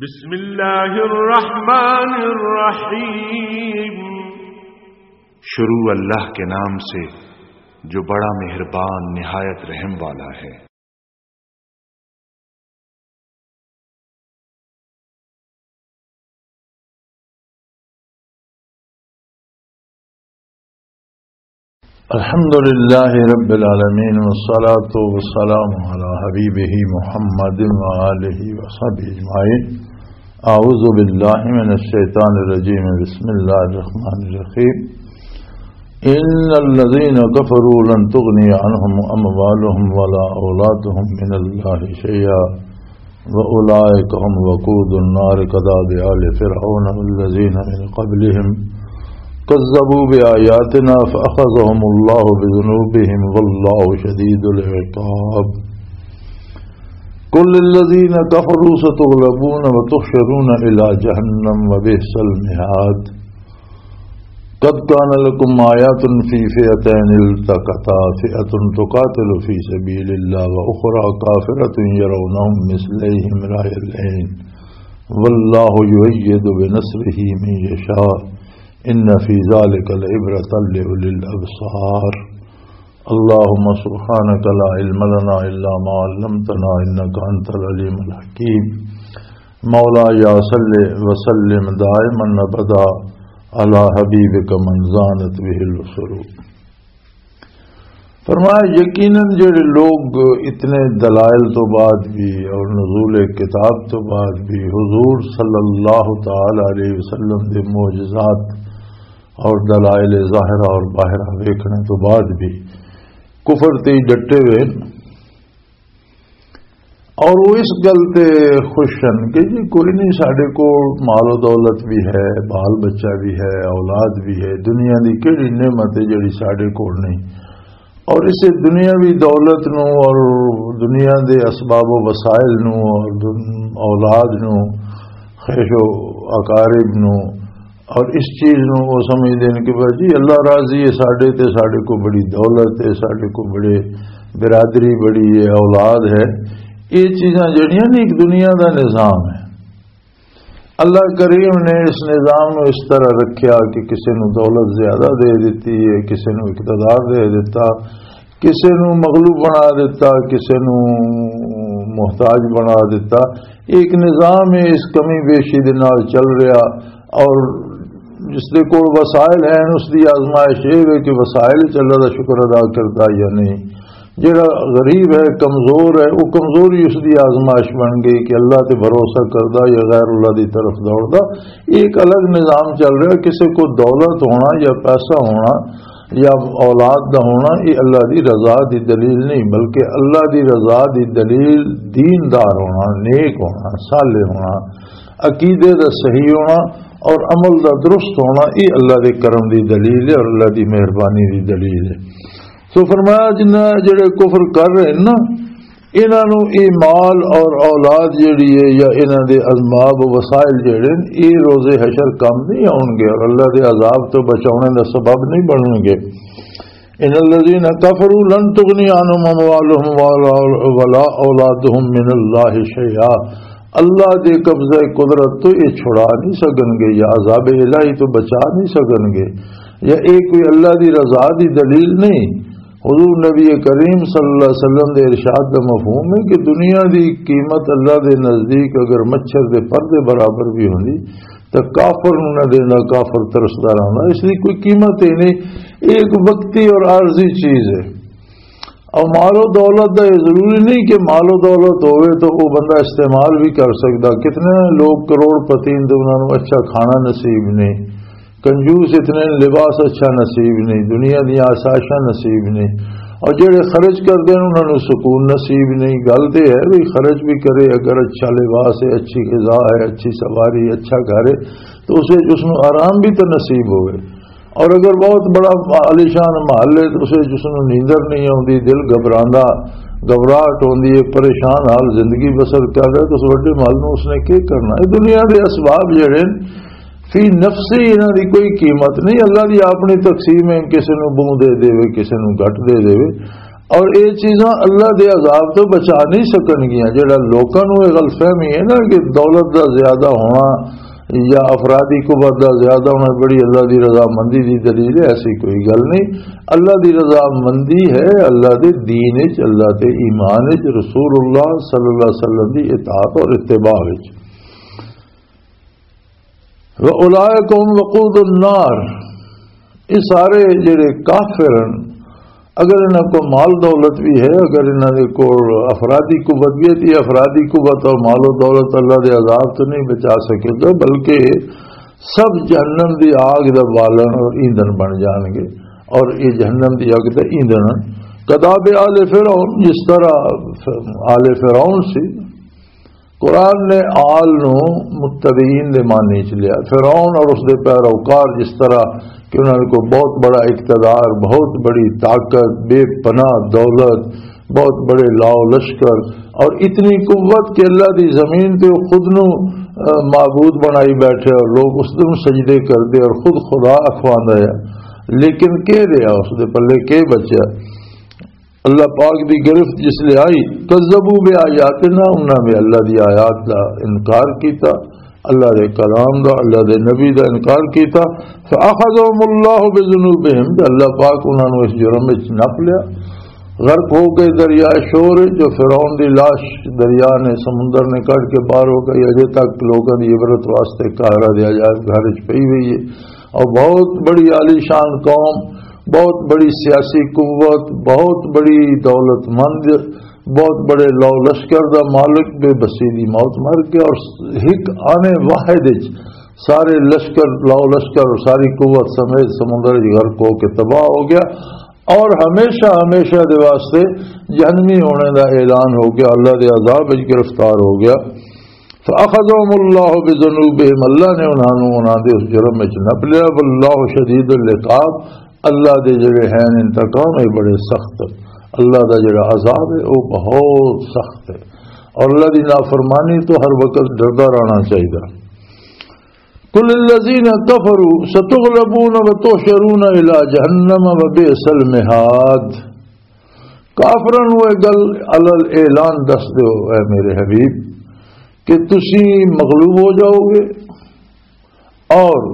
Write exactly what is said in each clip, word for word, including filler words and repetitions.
بسم اللہ الرحمن الرحیم۔ شروع اللہ کے نام سے جو بڑا مہربان، نہایت رحم والا ہے۔ الحمد لله رب العالمين، والصلاة والسلام على حبيبه محمد وآله وصحبه أجمعين. أعوذ بالله من الشيطان الرجيم. بسم الله الرحمن الرحيم. إن الذين كفروا لن تغني عنهم أموالهم ولا أولادهم من الله شيئا وأولئك هم وقود النار كداب آل فرعون والذين من قبلهم كذبوا بآياتنا فأخذهم الله بذنوبهم والله شديد العقاب. قل للذين كفروا ستغلبون وتحشرون إلى جهنم وبئس المهاد. قد كان لكم آيات في فئتين التقتا فئة تقاتل في سبيل الله وأخرى كافرة يرونهم مثليهم رأي العين والله يؤيد بنصره من يشاء إن في ذلك لعبرة لأولي الأبصار. اللهم سبحانك لا علم لنا إلا ما علمتنا إنك أنت العليم الحكيم. مولاي صل وسلم دائما أبدا على حبيبك من زانت به العصور. فرمایا، یقیناً جڑے لوگ اتنے دلائل تو بعد بھی اور نزول کتاب تو بعد بھی حضور صلی اللہ تعالی علیہ وسلم دے معجزات اور دلائل ظاہرہ اور باہرہ ویکھنے تو بعد بھی کفر تے ہی ڈٹے ہوئے ہن۔ اور وہ اس گل تے خوش ہن کہ جی کوئی نہیں، ساڈے کول مال و دولت بھی ہے، بال بچہ بھی ہے، اولاد بھی ہے، دنیا دی کیڑی نعمت ہے جڑی ساڈے کول نہیں؟ اور اسے دنیاوی دولت نو اور دنیا دے اسباب و وسائل نو اور دن-، اولاد نو، خیش و اقارب نو، اور اس چیز نو وہ سمجھدے نے کہ بس جی اللہ راضی ہے ساڈے تے، ساڈے کو بڑی دولت ہے، ساڈے کو بڑے برادری بڑی ہے، اولاد ہے۔ یہ چیزاں جڑیاں نے ایک دنیا دا نظام ہے۔ اللہ کریم نے اس نظام نو اس طرح رکھیا کہ کسے نو دولت زیادہ دے دتی ہے، کسے نو اقتدار دے دتا، کسے نو مغلوب بنا دتا، کسے نو محتاج بنا دتا۔ ایک نظام ہے، اس کمی بیشی دے نال چل رہا۔ اور جس دے کول وسائل ہیں، اس دی آزمائش یہ ہے کہ وسائل وچ اللہ دا شکر ادا کردا یا نہیں۔ جڑا غریب ہے، کمزور ہے، وہ کمزوری اس دی آزمائش بن گئی کہ اللہ تے بھروسہ کردا یا غیر اللہ دی طرف دوڑدا۔ یہ ایک الگ نظام چل رہا ہے۔ کسے کو دولت ہونا یا پیسہ ہونا یا اولاد دا ہونا، یہ اللہ دی رضا دی دلیل نہیں، بلکہ اللہ دی رضا دی دلیل دیندار ہونا، نیک ہونا، صالح ہونا، عقیدے دا صحیح ہونا اور عمل دا درست ہونا، یہ اللہ دے کرم دی دلیل ہے اور اللہ دی مہربانی دی دلیل ہے۔ سو فرمایا، جنہ جڑے کفر کر رہے ہیں نا، انہاں نوں اے مال اور اولاد جڑی ہے یا انہاں دے اسباب و وسائل جڑے نے، اے روز حشر کم نہیں آؤن گے اور اللہ دے عذاب تو بچاونے دا سبب نہیں بنن گے۔ ان الذين كفروا لن تغني عنهم اموالهم ولا اولادهم من الله شيئا۔ اللہ دے قبضہ قدرت تو یہ چھڑا نہیں سکن گے یا عذاب الہی تو بچا نہیں سکن گے یا یہ کوئی اللہ دی رضا دی دلیل نہیں۔ حضور نبی کریم صلی اللہ علیہ وسلم دے ارشاد دا مفہوم ہے کہ دنیا دی قیمت اللہ دے نزدیک اگر مچھر دے پر دے برابر بھی ہوندی تو کافر نوں نہ دینا، کافر ترسدا رہندا، اس دی کوئی قیمت ہی نہیں۔ یہ ایک وقتی اور عارضی چیز ہے۔ اور مال و دولت دا یہ ضروری نہیں کہ مال و دولت ہوئے تو وہ بندہ استعمال بھی کر سکدا۔ کتنے لوگ کروڑ پتی ہیں تو انہاں نوں اچھا کھانا نصیب نہیں، کنجوس اتنے لباس اچھا نصیب نہیں، دنیا دیاں آسائشاں نصیب نہیں، اور جڑے خرچ کردے نے انہاں نوں سکون نصیب نہیں۔ گل تے ہے بھی خرچ بھی کرے، اگر اچھا لباس ہے، اچھی غذا ہے، اچھی سواری، اچھا گھر ہے، تو اسے اس نوں آرام بھی تو نصیب ہوئے۔ اور اگر بہت بڑا عالیشان محل ہے تو اسے جس نوں نیندر نہیں آوندی، دل گھبراندا، گھبراہٹ ہوندی ہے، پریشان حال زندگی بسر کر رہا ہے، تو اس وڈے محل نوں اس نے کی کرنا؟ یہ دنیا دے اسباب جڑے نے، فی نفسی انہاں دی کوئی قیمت نہیں۔ اللہ دی اپنی تقسیم ہے، کسے نوں بہوں دے دے، کسے نوں گھٹ دے دے۔ اور یہ چیزاں اللہ دے عذاب تو بچا نہیں سکن گیاں۔ جڑا لوکاں نوں یہ غلط فہمی ہے نا کہ دولت دا زیادہ ہونا یا افرادی قوت دا زیادہ ہونا بڑی اللہ دی رضامندی دی دلیل ہے، ایسی کوئی گل نہیں۔ اللہ دی رضامندی ہے اللہ دے دین وچ، اللہ دے ایمان وچ، رسول اللہ صلی اللہ علیہ وسلم دی اطاعت اور اتباع وچ۔ وَأُولَٰئِكَ هُمْ وَقُودُ النَّارِ، یہ سارے جڑے کافر ہیں، اگر انہاں کو مال دولت بھی ہے، اگر انہاں دے کول افرادی قوت بھی ہے، تو یہ افرادی قوت اور مال و دولت اللہ دے عذاب تو نہیں بچا سکے گا، بلکہ سب جہنم دی آگ دا بالن اور ایندھن بن جان گے، اور یہ جہنم دی آگ دا ایندھن۔ کداب آل فرعون، جس طرح آل فرعون سی، قرآن نے آل نو متبعین دے معنی چ لیا۔ فرعون اور اس دے پیروکار، جس طرح کہ انہاں کو بہت بڑا اقتدار، بہت بڑی طاقت، بے پناہ دولت، بہت بڑے لاؤ لشکر، اور اتنی قوت کہ اللہ دی زمین تے وہ خود نو، آ، معبود بنائی بیٹھے اور لوگ اس نو سجدے کردے اور خود خدا اخواندا ہے۔ لیکن کے رہا اس دے پلے، کے بچیا؟ اللہ پاک دی گرفت جس لے آئی، کذبوا بآیاتنا، انہاں نے اللہ دی آیات دا انکار کیتا، اللہ دے کلام دا، اللہ دے نبی دا انکار کیتا۔ فاخذهم اللہ بذنوبہم، تے اللہ پاک انہاں نوں اس جرم وچ نپ لیا، غرق ہو گئے دریائے شور وچ۔ جو فرعون دی لاش دریا نے، سمندر نے کڈ کے باہر ہو گئی، اجے تک لوکاں دی عبرت واسطے قاہرہ دے عجائب گھر وچ پئی ہوئی ہے۔ اور بہت بڑی عالیشان قوم، بہت بڑی سیاسی قوت، بہت بڑی دولت مند، بہت بڑے لو لشکر دا مالک بے بسی دی موت مر گیا، اور ایک آنے واحد وچ سارے لشکر، لو لشکر اور ساری قوت سمیت سمندر وچ غرق ہو کے تباہ ہو گیا، اور ہمیشہ ہمیشہ دے واسطے جہنمی ہونے دا اعلان ہو گیا، اللہ دے عذاب وچ گرفتار ہو گیا۔ فاخذهم اللہ بذنوبہم، اللہ نے انہاں نوں انہاں دے اس جرم وچ نپ لیا۔ واللہ شدید العقاب، اللہ دے جڑے ہیں انتقام، یہ بڑے سخت ہیں۔ اللہ دا جڑا عذاب ہے، وہ بہت سخت ہے، اور اللہ دی نافرمانی تو ہر وقت ڈردا رہنا چاہیے۔ قل للذین کفروا ستغلبون وتحشرون الی جہنم وبئس المہاد۔ کافراں نوں یہ گل علی الاعلان دس دیو، اے میرے حبیب، کہ تسی مغلوب ہو جاؤ گے اور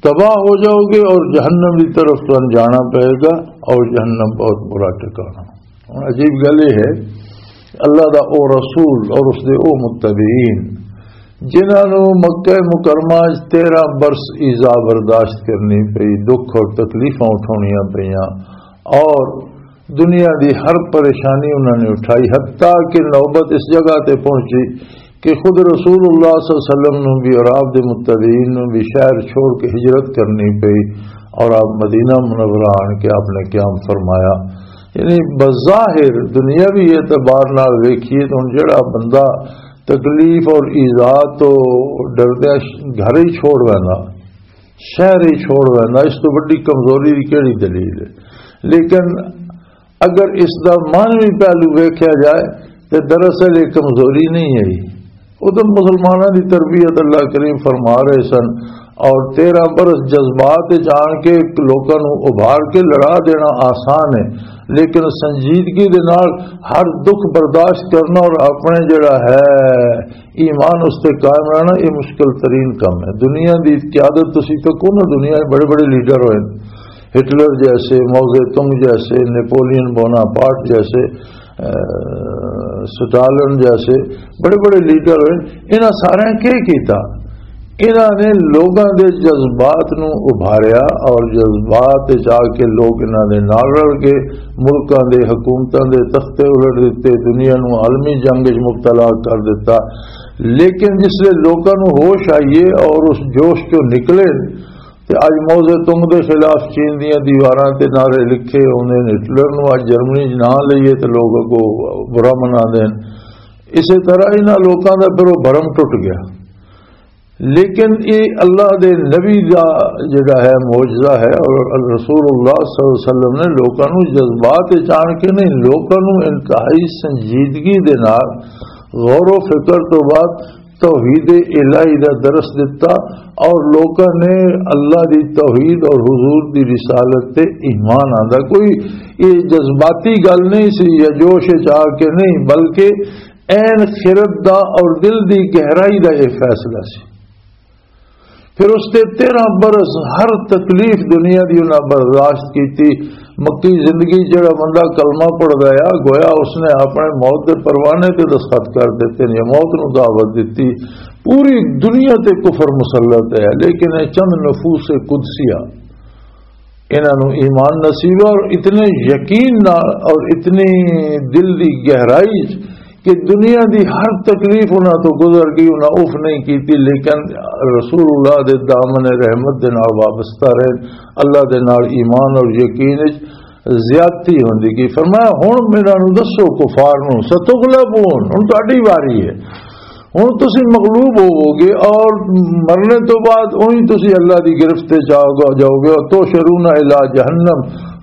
تباہ ہو جاؤ گے، اور جہنم کی طرف تمہیں جانا پائے گا، اور جہنم بہت برا ٹھکانا۔ ہن عجیب گل یہ ہے، اللہ دا او رسول اور اس دے او متبعین، جنہاں نوں مکہ مکرمہ وچ تیرہ برس ایذا برداشت کرنی پئی، دکھ اور تکلیفاں اٹھاونیاں پئیاں، اور دنیا دی ہر پریشانی انہاں نے اٹھائی، حتیٰ کہ نوبت اس جگہ تے پہنچی کہ خود رسول اللہ صلی اللہ علیہ وسلم نوں بھی اور آپ دے متبعین نوں بھی شہر چھوڑ کے ہجرت کرنی پئی، اور آپ مدینہ منورہ آن کے آپ نے قیام فرمایا۔ یعنی بظاہر دنیاوی اعتبار نال ویکھیے تو ہن جڑا بندہ تکلیف اور ایذا تو ڈردے گھر ہی چھوڑ ویندا، شہر ہی چھوڑ ویندا، اس تو وڈی کمزوری دی کیڑی دلیل ہے؟ لیکن اگر اس دا معنوی پہلو ویکھیا جائے تے دراصل یہ کمزوری نہیں ہے۔ ادھر مسلمانوں دی تربیت اللہ کریم فرما رہے سن، اور تیرہ برس جذبات وچ آن کے لوکاں نوں ابھار کے لڑا دینا آسان ہے، لیکن سنجیدگی دے نال ہر دکھ برداشت کرنا اور اپنے جڑا ہے ایمان اس تے قائم رہنا، یہ مشکل ترین کام ہے۔ دنیا دی قیادت تسی تکو نا، دنیا دے بڑے بڑے لیڈر ہوئے، ہٹلر جیسے، ماؤ زے تونگ جیسے، نیپولین بوناپارٹ جیسے، اہ، سٹالن جیسے بڑے بڑے لیڈر ہوئے، انہاں سارے کی کیتا؟ انہاں نے لوگاں دے جذبات نوں ابھاریا، اور جذبات وچ آ کے لوگ انہاں دے نال رل گئے، ملکاں دے، حکومتاں دے تختے الٹ دتے، دنیا نوں عالمی جنگ وچ مبتلا کر دتا۔ لیکن جس لے لوگاں نوں ہوش آئیے اور اس جوش چوں نکلے، تے اج ماؤ زے تونگ دے خلاف چین دیاں دیواراں تے نعرے لکھے ہوندے نے، ہٹلر نوں اج جرمنی 'چ ناں لئیے تے لوگ اگوں برا مناندے نے۔ اسی طرح انہاں لوکاں دا پھر وہ بھرم ٹوٹ گیا۔ لیکن یہ اللہ دے نبی دا جڑا ہے معجزہ ہے، اور رسول اللہ صلی اللہ علیہ وسلم نے لوکاں نوں جذبات وچ آن کے نہیں، لوکاں نوں انتہائی سنجیدگی دے نال غور و فکر تو بعد توحید الہی دا درس دتا اور لوکاں نے اللہ دی توحید اور حضور دی رسالت تے ایمان آندا۔ کوئی یہ جذباتی گل نہیں سی یا جوش وچ آ کے نہیں، بلکہ عین خرد دا اور دل دی گہرائی دا یہ فیصلہ سی۔ پھر اس تے تیرہ برس ہر تکلیف دنیا دی انہاں برداشت کیتی۔ مکی زندگی جڑا بندہ کلمہ پڑھدا ہے، گویا اس نے اپنے موت دے پروانے تے دستخط کر دیتے نے، موت نو دعوت دتی۔ پوری دنیا تے کفر مسلط ہے، لیکن یہ چند نفوس قدسیہ، انہاں نو ایمان نصیب ہے اور اتنے یقین نال اور اتنی دل دی گہرائی کہ دنیا دی ہر تکلیف انہاں تو گزر گئی، انہاں اف نہیں کیتی، لیکن رسول اللہ دے دامن رحمت دے نال وابستہ رہے، اللہ دے نال ایمان اور یقین وچ زیادتی ہوندی گئی۔ فرمایا، "ہن میرا نو دسو کفار نو، ستغلبون، ہن تہاڈی واری ہے، ہن تسی مغلوب ہوو گے اور مرنے تو بعد اونی تسی اللہ دی گرفت وچ آؤ گے، جاؤ گے، اور تحشرون الی جہنم،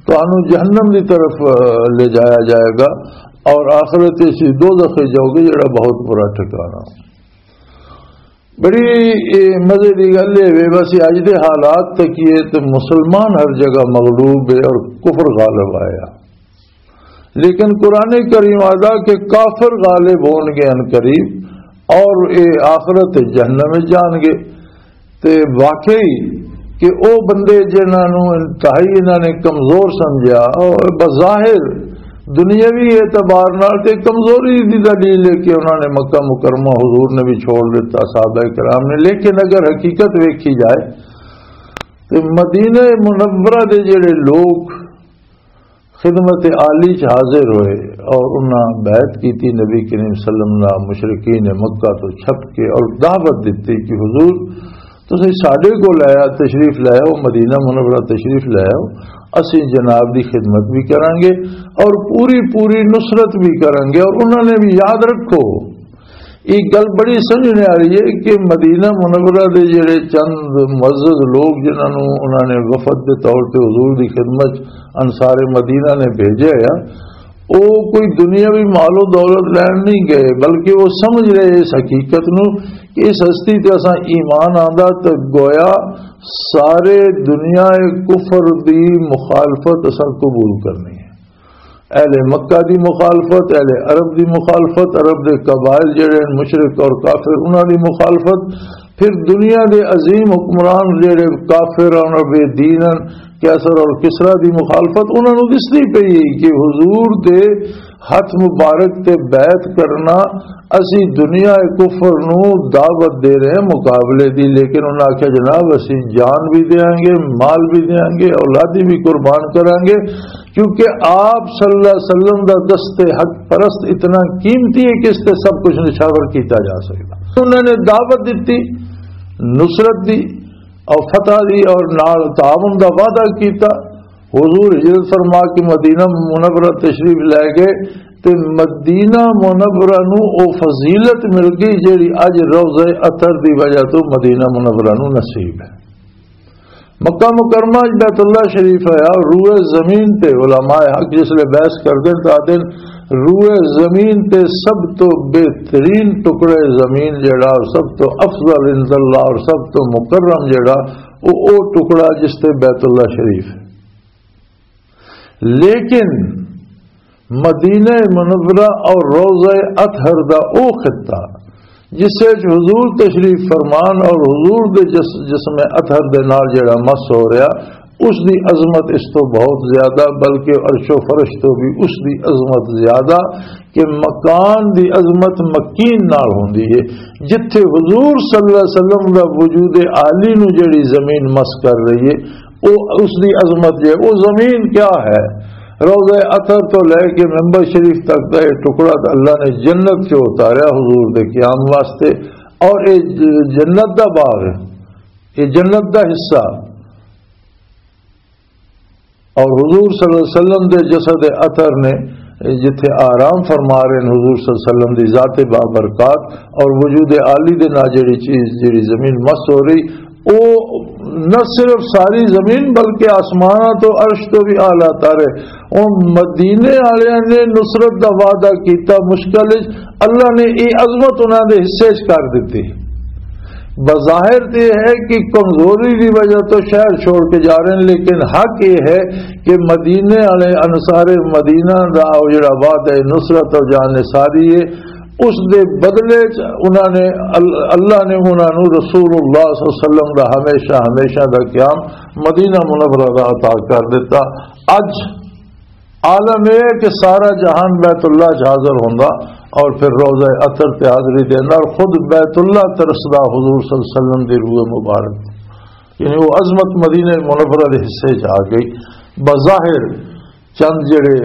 تانوں جہنم دی طرف، آ، لے جایا جائے گا اور آخرت وچ دوزخ وچ جاؤ گے، جڑا بہت برا ٹھکانہ۔" بڑی، اے، مزے دی گل اے وے، بس اج دے حالات تکیے تے مسلمان ہر جگہ مغلوب ہے اور کفر غالب آیا۔ لیکن قرآن کریم آدا کہ کافر غالب ہون گے ان قریب اور اے آخرت جہنم وچ جان گے۔ تے واقعی کہ او بندے جنہاں نوں انتہائی انہاں نے کمزور سمجھیا، او بظاہر دنیاوی اعتبار نال تے کمزوری دی دلیل ہے کہ انہاں نے مکہ مکرمہ حضور نے بھی چھوڑ دیتا، صحابہ کرام نے۔ لیکن اگر حقیقت ویکھی جائے تے مدینہ منورہ دے جڑے لوگ خدمت عالی چ حاضر ہوئے اور انہاں بیعت کیتی نبی کریم صلی اللہ علیہ وسلم نال، مشرکین مکہ تو چھپ کے، اور دعوت دتی کہ حضور، تسی ساڈے کول آیا، تشریف لے آؤ، مدینہ منورہ تشریف لے آؤ، اسی جناب دی خدمت بھی کرانگے اور پوری پوری نصرت بھی کرانگے۔ اور انہاں نے بھی یاد رکھو، یہ گل بڑی سمجھنے والی ہے کہ مدینہ منورہ دے جڑے چند معزز لوگ جنہاں نوں انہاں نے وفد دے طور تے حضور دی خدمت انصار مدینہ نے بھیجا ہے، وہ کوئی دنیاوی مال و دولت لین نہیں گئے، بلکہ وہ سمجھ رہے اس حقیقت نو کہ اس ہستی تے اساں ایمان آندا تے گویا سارے دنیا کفر دی مخالفت اساں قبول کرنی ہے۔ اہل مکہ دی مخالفت، اہل عرب دی مخالفت، عرب دے قبائل جڑے ہیں مشرک اور کافر، انہاں دی مخالفت، پھر دنیا دے عظیم حکمران جڑے کافر اور بے دین ہیں، قیصر اور کسریٰ دی مخالفت، انہاں نوں دسدی پئی ہے کہ حضور دے ہتھ مبارک تے بیعت کرنا، اسی دنیا کفر نوں دعوت دے رہے ہیں مقابلے دی۔ لیکن انہاں آکھیا، "جناب، اسی جان بھی دیاں گے، مال بھی دیاں گے، اولادی بھی قربان کران گے، کیونکہ آپ صلی اللہ علیہ وسلم دا دست حق پرست اتنا قیمتی ہے کہ اس تے سب کچھ نچھاور کیتا جا سکتا۔" انہاں نے دعوت دتی، نصرت دی اور فتح دی اور نال تعاون دا وعدہ کیتا۔ حضور ہجرت فرما کے مدینہ منورہ تشریف لے گئے تے مدینہ منورہ نو او فضیلت مل گئی جیڑی اج روضہ اطہر دی وجہ تو مدینہ منورہ نو نصیب ہے۔ مکہ مکرمہ اچ بیت اللہ شریف ہے اور روئے زمین تے علماء حق جس لے بحث کردے تو آدن، روئے زمین تے سب تو بہترین ٹکڑے زمین جڑا اور سب تو افضل عند اللہ اور سب تو مکرم جڑا، او، او ٹکڑا جس تے بیت اللہ شریف ہے۔ لیکن مدینہ منورہ اور روضہ اطہر دا او خطہ جس وچ حضور تشریف فرمان اور حضور دے جس-، جسم اطہر دے نال جڑا مس ہو رہا، اس دی عظمت اس تو بہت زیادہ، بلکہ عرش و فرش تو بھی اس دی عظمت زیادہ، کہ مکان دی عظمت مکین نال ہوندی ہے۔ جتھے حضور صلی اللہ علیہ وسلم دا وجود عالی نو جڑی زمین مس کر رہی ہے، او اس دی عظمت جے، او زمین کیا ہے؟ روضہ اطہر تو لے کے ممبر شریف تک دا یہ ٹکڑا تے اللہ نے جنت چ اتاریا حضور دے قیام واسطے، اور یہ ج-، جنت دا باغ ہے، یہ جنت دا حصہ۔ اور حضور صلی اللہ علیہ وسلم دے جسد اطہر نے جتھے آرام فرما رہے ہیں حضور صلی اللہ علیہ وسلم دی ذات بابرکات اور وجود عالی دے نال جڑی چیز، جڑی زمین مس ہو رہی، او نہ صرف ساری زمین بلکہ آسماناں تو عرش تو بھی اعلیٰ تر ہے۔ ان مدینے والوں نے نصرت دا وعدہ کیتا مشکل وچ، اللہ نے یہ عظمت انہاں دے حصے وچ کر دتی۔ بظاہر تے یہ ہے کہ کمزوری دی وجہ تو شہر چھوڑ کے جا رہے ہیں، لیکن حق یہ ہے کہ مدینے والے انصار مدینہ دا او جڑا وعدہ نصرت اور جان نثاری ہے، اس دے بدلے چ انہاں نے ال-، اللہ نے انہاں نوں رسول اللہ صلی اللہ علیہ وسلم دا ہمیشہ ہمیشہ دا قیام مدینہ منورہ دا عطا کر دیتا۔ اج عالم یہ ہے کہ سارا جہان بیت اللہ چ حاضر ہوندا اور پھر روضہ اطہر تے حاضری دیندا اور خود بیت اللہ ترسدا حضور صلی اللہ علیہ وسلم دی روح مبارک، یعنی وہ عظمت مدینہ منورہ دے حصے چ آ گئی۔ بظاہر چند جڑے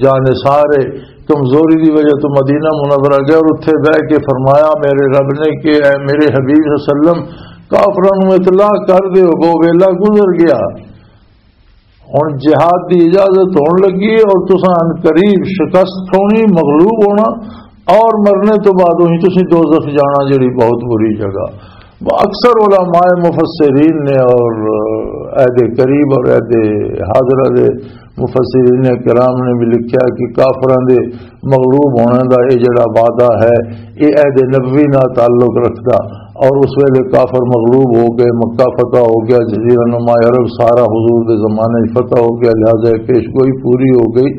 جان سارے کمزوری دی وجہ تو مدینہ منورہ گئے اور اتھے بہ کے فرمایا میرے رب نے کہ اے میرے حبیب صلی اللہ علیہ وسلم، کافراں نوں اطلاع کر دیو، وہ ویلا گزر گیا، ہن جہاد دی اجازت ہون لگی ہے اور تساں عن قریب شکست کھانی، مغلوب ہونا اور مرنے تو بعد وہی تساں دوزخ جانا، جڑی بہت بری جگہ۔ اکثر علماء مفسرین نے اور عہد قریب اور عہد حاضرہ دے مفسرین کرام نے بھی لکھیا کہ کافراں دے مغلوب ہونے دا یہ جڑا وعدہ ہے، یہ عہد نبوی نال تعلق رکھدا، اور اس ویلے کافر مغلوب ہو گئے، مکہ فتح ہو گیا، جزیرہ نما عرب سارا حضور دے زمانے 'چ فتح ہو گیا، لہذا یہ پیش گوئی پوری ہو گئی۔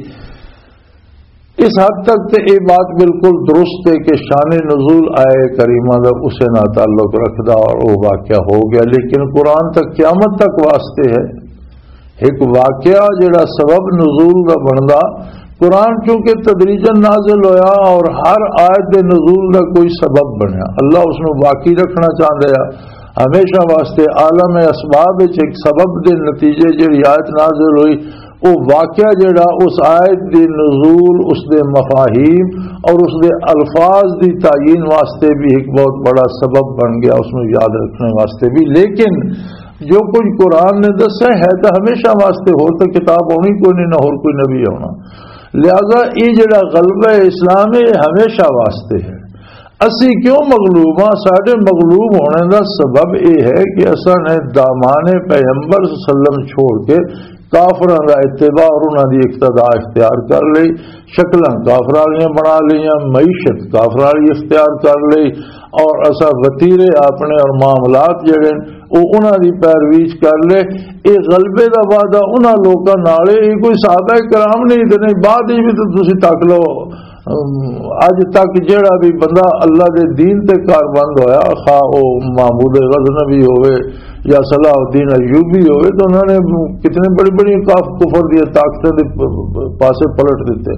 اس حد تک تے یہ بات بالکل درست ہے کہ شان نزول آئے کریمہ دا اسے نال تعلق رکھدا اور وہ واقعہ ہو گیا، لیکن قرآن تک قیامت تک واسطے ہے۔ ایک واقعہ جڑا سبب نزول دا بندا، قرآن چونکہ تدریجاً نازل ہویا اور ہر آیت دے نزول دا کوئی سبب بنیا، اللہ اس نوں باقی رکھنا چاہندا ہے۔ ہمیشہ واسطے عالم اسباب وچ ایک سبب دے نتیجے جڑی آیت نازل ہوئی، وہ واقعہ جڑا اس آیت دے نزول، اس دے مفاہیم اور اس دے الفاظ دی تعین واسطے بھی ایک بہت بڑا سبب بن گیا، اس نوں یاد رکھنے واسطے بھی۔ لیکن جو کچھ قرآن نے دسیا ہے تو ہمیشہ واسطے، ہور تو کتاب ہونی کوئی نہیں، نہ ہور کوئی نبی ہونا۔ لہذا یہ جڑا غلبہ اسلام ہے، یہ ہمیشہ واسطے ہے۔ اسی کیوں مغلوب ہاں؟ ساڈے مغلوب ہونے دا سبب یہ ہے کہ اساں نے دامان پیغمبر صلی اللہ علیہ وسلم چھوڑ کے کافراں دا اتباع اور انہاں دی اقتدا اختیار کر لئی، شکلاں کافراں والیاں بنا لئیاں، معیشت کافراں والی اختیار کر لئی، اور اساں وتیرے اپنے اور معاملات جڑے نے، او انہاں دی پیروی چ کر لے۔ اے غلبے دا وعدہ انہاں لوکاں نال ہے، اے کوئی صحابہ کرام نہیں تے نہیں، بعد وچ بھی تے تسی تک لو۔ ام، اج تک جڑا بھی بندہ اللہ دے دین تے کاربند ہویا، خواہ او محمود غزنوی ہوئے یا صلاح الدین ایوبی ہوئے، تو انہوں نے کتنے بڑی بڑی کاف-، کفر دی طاقتیں دے پ-، پ-، پاسے پلٹ دیتے۔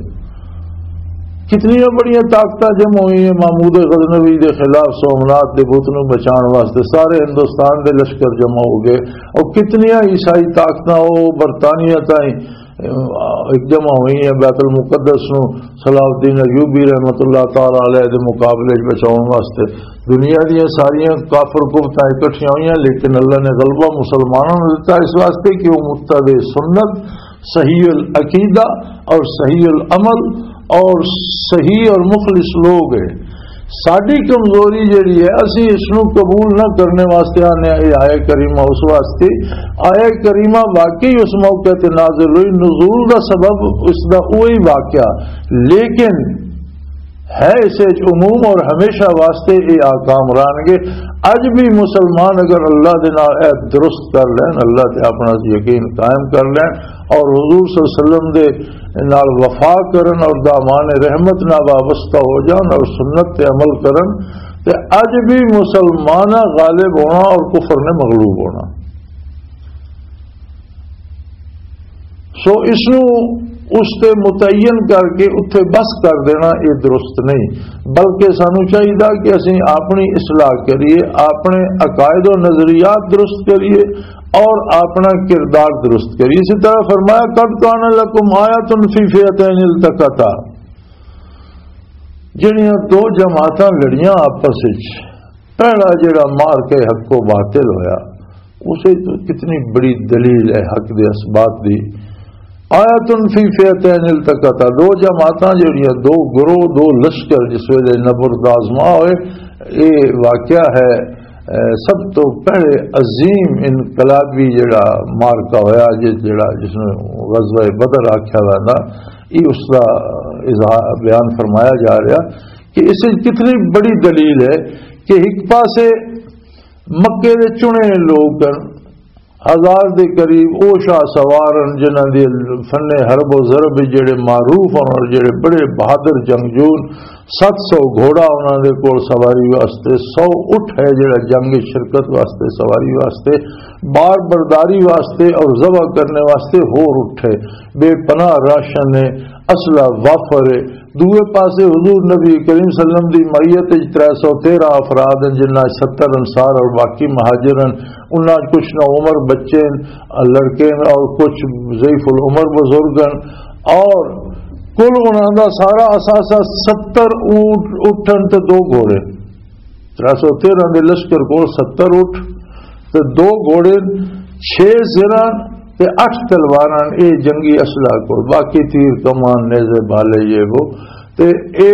کتنی بڑی طاقتیں جمع ہوئی ہیں محمود غزنوی دے خلاف، سومنات دے بت نوں بچان واسطے سارے ہندوستان دے لشکر جمع ہو گئے، اور کتنی عیسائی طاقتیں وہ برطانیہ تائیں ایک جمع ہوئی ہیں بیت المقدس نو صلاح الدین ایوبی رحمۃ اللہ تعالی علیہ دے مقابلے وچ بچاؤن واسطے۔ دنیا دیاں ساریاں کافر قوتاں اکٹھیاں ہوئیاں، لیکن اللہ نے غلبہ مسلمانوں نوں دتا، اس واسطے کہ وہ متبع سنت، صحیح العقیدہ اور صحیح العمل اور صحیح اور مخلص لوگ ہیں۔ ساڈی کمزوری جڑی ہے، اسی اس نو قبول نہ کرنے واسطے آنے، یہ آیہ کریمہ اس واسطے، آیہ کریمہ واقعی اس موقع تے نازل ہوئی، نزول دا سبب اس دا وہی واقعہ، لیکن ہے اس وچ عموم اور ہمیشہ واسطے یہ آکام رہن گے۔ اج بھی مسلمان اگر اللہ دے نال اے درست کر لین، اللہ تے اپنا یقین قائم کر لین اور حضور صلی اللہ علیہ وسلم دے نال وفا کرن اور دامان رحمت نال وابستہ ہو جان اور سنت تے عمل کرن، تے اج بھی مسلمان غالب ہونا اور کفر نے مغلوب ہونا۔ سو اس نو اس تے متعین کر کے اتھے بس کر دینا، یہ درست نہیں، بلکہ سانو چاہیے کہ اسی اپنی اصلاح کریے، اپنے عقائد و نظریات درست کریے اور اپنا کردار درست کریے۔ اسی طرح فرمایا، "قد کان لکم آیۃ فی فئتین التقطا"، جڑیاں دو جماعتاں لڑیاں آپس وچ، پہلا جڑا مار کے حق و باطل ہویا، اسے تو کتنی بڑی دلیل ہے حق دے اثبات دی۔ "آیۃ فی فئتین التقطا"، دو جماعتاں جڑیاں، دو گروہ، دو لشکر جس ویلے نبرد آزما ہوئے، یہ واقعہ ہے۔ اے، سب تو پہلے عظیم انقلابی جڑا مارکا ہویا، جس، جڑا، جس نوں غزوہ بدر آکھیا ویندا، یہ اس دا اظہار، بیان فرمایا جا رہا کہ اس وچ کتنی بڑی دلیل ہے کہ ایک پاسے مکے دے چنے لوگ ہن، ہزار دے قریب، او شاہ سوار ہن جنہاں دے فن حرب و ضرب جڑے معروف ہن اور جڑے بڑے بہادر جنگجو ہن۔ ست سو گھوڑا انہاں دے کول سواری واسطے، سو اٹھ ہے جڑا جنگ شرکت واسطے، سواری واسطے، بار برداری واسطے اور ذبح کرنے واسطے ہور اٹھ ہے۔ بے پناہ راشن ہے، اسلحہ وافر ہے۔ دوئے پاسے حضور نبی کریم صلی اللہ علیہ وسلم دی معیت وچ ترے سو تیرہ افراد ہیں، جنہاں وچ ستر انصار اور باقی مہاجر ہیں۔ انہاں وچ کچھ نو عمر بچے ہیں، لڑکے ہیں، اور کچھ ضعیف العمر بزرگ ہیں۔ اور کل انہاں دا سارا اثاثہ ستر اونٹ، اٹھن تے دو گھوڑے۔ ترے سو تیرہ دے لشکر کول ستر اٹھ تے دو گھوڑے، چھ زرہ تے اٹھ تلواراں، اے جنگی اسلحہ کول، باقی تیر، کمان، نیزے، بھالے، یہ وہ۔ تے اے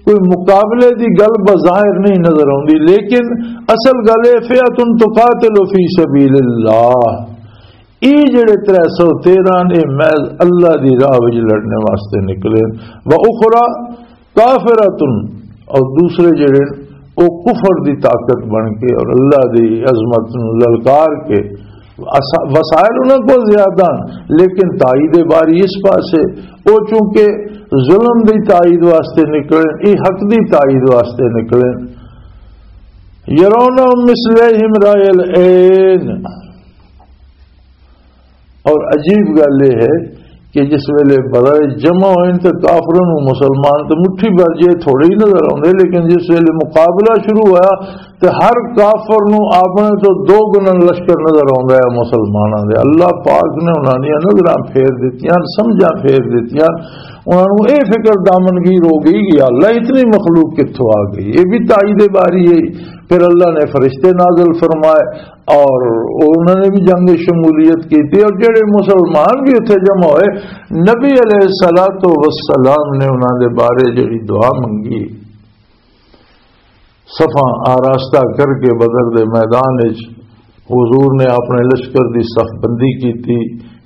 کوئی مقابلے دی گل بظاہر نہیں نظر آندی، لیکن اصل گل اے، فئۃ تقاتل فی سبیل اللہ۔ اے جڑے ترے سو تیرہ نے، محض اللہ دی راہ وچ لڑنے واسطے نکلے۔ و اخری کافرۃ، اور دوسرے جڑے او کفر دی طاقت بن کے اور اللہ دی عظمت نو للکار کے، اسا-، وسائل انہاں کو زیادہ ہیں، لیکن تائید باری اس پاسے، او چونکہ ظلم دی تائید واسطے نکلے، اے حق دی تائید واسطے نکلے۔ یرونہم مثلیہم رأی العین۔ اور عجیب گل یہ ہے کہ جس ویلے بدر جمع ہوئے تے کافراں نوں مسلمان تے مٹھی بھر جے تھوڑے ہی نظر آوندے، لیکن جس ویلے مقابلہ شروع ہویا تے ہر کافر نوں اپنے تو دو گنا لشکر نظر آوندا ہے مسلماناں دے۔ اللہ پاک نے انہاں دیاں نظراں پھیر دتیاں، سمجھاں پھیر دتیاں، انہاں نوں اے فکر دامنگیر ہو گئی کہ اللہ اتنی مخلوق کتھوں آ گئی۔ یہ بھی تائید باری ہے۔ پھر اللہ نے فرشتے نازل فرمائے اور انہوں نے بھی جنگ شمولیت کی تھی، اور جڑے مسلمان بھی اتھے جمع ہوئے، نبی علیہ الصلوۃ والسلام نے انہوں دے بارے جڑی دعا منگی، صفاں آراستہ کر کے بدر دے میدان وچ حضور نے اپنے لشکر دی صف بندی کی تھی۔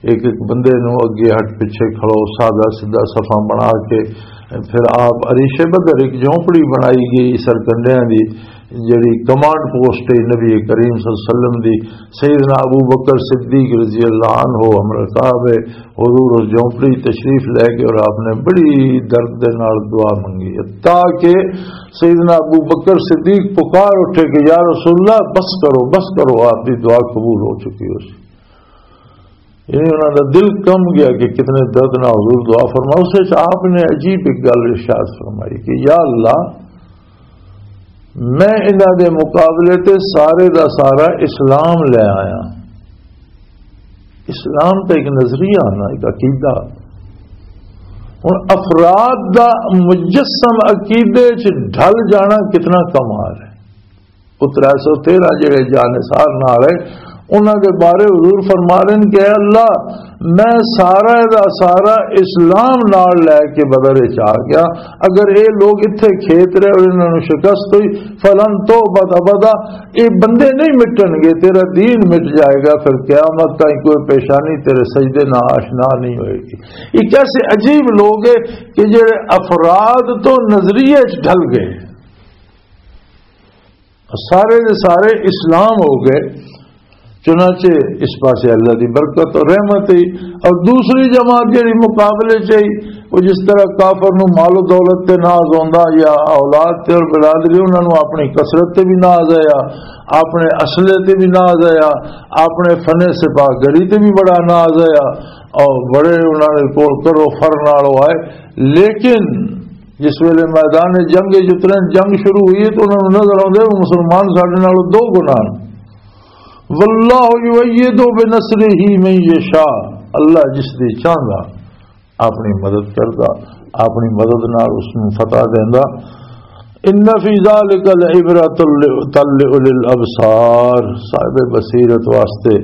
ایک ایک بندے نو اگے ہٹ پچھے کھڑو، سادہ سیدھا صفاں بنا کے پھر آپ عریش بدر ایک جھونپڑی بنائی گئی سرکنڈیاں دی، جڑی کمانڈ پوسٹ ہے نبی کریم صلی اللہ علیہ وسلم دی۔ سیدنا ابو بکر صدیق رضی اللہ عنہ ہم رکاب ہے، حضور اس جھونپڑی تشریف لے کے اور آپ نے بڑی درد دے نال دعا منگی، تاکہ سیدنا ابو بکر صدیق پکار اٹھے کہ یا رسول اللہ، بس کرو، بس کرو، آپ دی دعا قبول ہو چکی ہو سی۔ یعنی انہاں دا دل کم گیا کہ کتنے درد نال حضور دعا فرما۔ اس وچ آپ نے عجیب ایک گل ارشاد فرمائی کہ یا اللہ، میں انہاں دے مقابلے تے سارے دا سارا اسلام لے آیا۔ اسلام تے ایک نظریہ آنا، ایک عقیدہ۔ ہن افراد دا مجسم عقیدے چ ڈھل جانا کتنا کمال ہے۔ وہ ترے سو تیرہ جڑے جانثار نال ہے، انہاں دے بارے حضور فرما رہے ہیں کہ اے اللہ، میں سارا دا سارا اسلام نال لے کے بدر وچ آ گیا۔ اگر اے لوگ اتھے کھیت رہے اور انہاں نوں شکست ہوئی، فلن تعبد ابدا، اے بندے نہیں مٹن گے، تیرا دین مٹ جائے گا، پھر قیامت تائیں کوئی پیشانی تیرے سجدے نہ آشنا نہیں ہوئے گی۔ یہ کیسے عجیب لوگ ہیں کہ جڑے افراد تو نظریے چ ڈھل گئے، سارے دے سارے اسلام ہو گئے۔ چنانچہ اس پاسے اللہ دی برکت اور رحمت ہی۔ اور دوسری جماعت جڑی مقابلے چ ہی، وہ جس طرح کافر نو مال و دولت تے ناز ہوندا یا اولاد تے اور برادری، انہاں نو اپنی کثرت تے بھی ناز آیا، اپنے اسلحے تے بھی ناز آیا، اپنے فن سپاہ گری تے بھی بڑا ناز آیا، اور بڑے انہاں دے کول کرو فر نال آئے۔ لیکن جس ویلے میدان جنگ وچ اترے، جنگ شروع ہوئی ہے تو انہاں نوں نظر آؤندے وہ مسلمان ساڈے نالوں دو گنا ہن۔ واللہ یؤید بنصرہ من یشاء، اللہ جس دی چاہندا اپنی مدد کردا، اپنی مدد نال اس نوں فتح دیندا۔ ان فی ذلک لعبرۃ لأولی الابصار، صاحب بصیرت واسطے،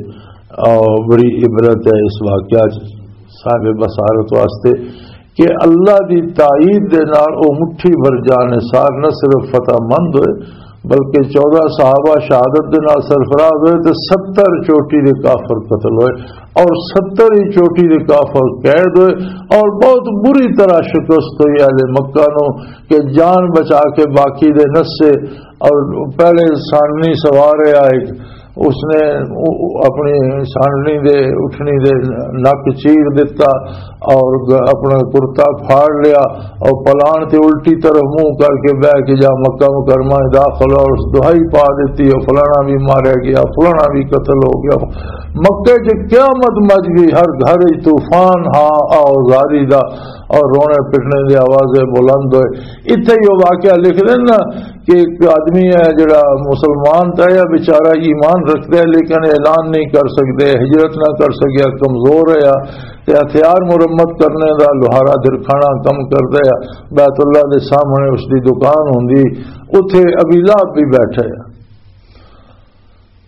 آ، بڑی عبرت ہے اس واقعہ چ، صاحب بصارت واسطے کہ اللہ دی تائید دے نال او مٹھی بھر جانثار نہ صرف فتح مند ہوئے، بلکہ چودہ صحابہ شہادت دے نال سرفراز ہوئے تے ستر چوٹی دے کافر قتل ہوئے، اور ستر ہی چوٹی دے کافر قید ہوئے، اور بہت بری طرح شکست ہوئی اہل مکہ نو، کہ جان بچا کے باقی دے نسے۔ اور پہلے سانڈنی سوار ہے ایک، اس نے اپنی سانڈنی دے، اٹھنی دے نک چیر دیتا، اور گ-، اپنا کرتا پھاڑ لیا، اور پلان تے الٹی طرف منہ کر کے بہ کے جا مکہ مکرمہ میں داخل ہو، اور اس دہائی پا دیتی، اور فلانا بھی ماریا گیا، فلانا بھی قتل ہو گیا۔ مکے چ قیامت مچ گئی، ہر گھر وچ طوفان ہا آ زاری دا، اور رونے پٹنے دے آوازیں بلند ہوئے۔ اتھے ہی وہ واقعہ لکھ دینا کہ ایک آدمی ہے جڑا مسلمان تھا، یا بیچارہ ایمان رکھتا ہے لیکن اعلان نہیں کر سکتے، ہجرت نہ کر سکیا، کمزور ہے، تے ہتھیار مرمت کرنے دا لوہارا درکھانا کم کردا ہے۔ بیت اللہ دے سامنے اس دی دکان ہوندی، اتھے ابی لہب بھی بیٹھا ہے۔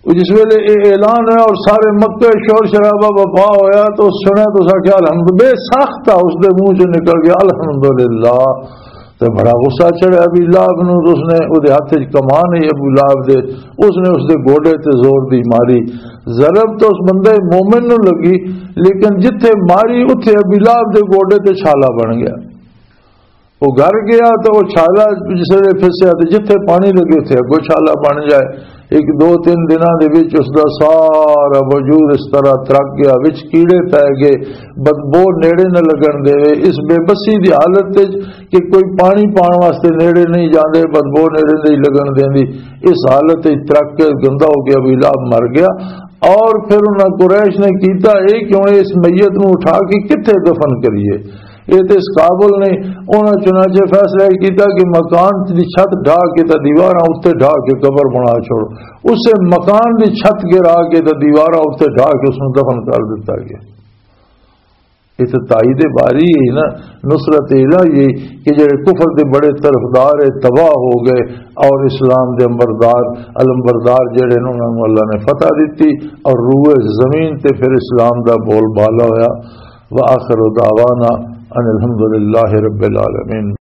جس ویلے یہ اعلان ہویا اور سارے مکے شور شرابہ وفا ہویا، تو سنیا تو سا کیا الحمد، بے ساختہ اس دے منہ چ نکل گیا، "الحمدللہ۔" تے بڑا غصہ چڑھیا ابی لہب نو، تے اس نے، او دے ہاتھ وچ کمان ہی ابو لہب دے، اس نے اس دے گوڈے تے زور دی ماری۔ ضرب تو اس بندے مومن نو لگی، لیکن جتھے ماری اتھے ابی لہب دے گوڈے تے چھالا بن گیا۔ وہ گھر گیا تے وہ چھالا جس ویلے پھسیا تے جتھے پانی لگے اتھے اگوں چھالا بن جائے۔ ایک دو تین دناں دے وچ اس دا سارا وجود اس طرح ترک گیا، وچ کیڑے پے گئے، بدبو نیڑے نہ لگن دے۔ اس بے بسی دی حالت وچ کہ کوئی پانی پان واسطے نیڑے نہیں جاندے، بدبو نیڑے نہیں لگن دیندی، اس حالت وچ ترک کے گندا ہو گیا، ابو لہب مر گیا۔ اور پھر انہاں قریش نے کیتا اے کہ ہن اس میت نوں اٹھا کے کتھے دفن کریے؟ یہ تے اس قابل نہیں۔ انہاں چنانچہ فیصلہ یہ کیتا کہ مکان دی چھت ڈھا کے تے دیواراں اُتے ڈھا کے قبر بنا چھوڑو۔ اسے مکان دی چھت گرا کے تے دیواراں اُتے ڈھا کے اس نوں دفن کر دتا گیا۔ یہ تے تائید باری ہے نا، نصرت الہی ہے کہ جڑے کفر دے بڑے طرفدار ہے تباہ ہو گئے، اور اسلام دے امبردار، علمبردار جڑے نے، انہاں نوں اللہ نے فتح دتی اور روئے زمین تے پھر اسلام دا بول بالا ہویا۔ وآخر دعوانا ان الحمدللہ رب العالمین۔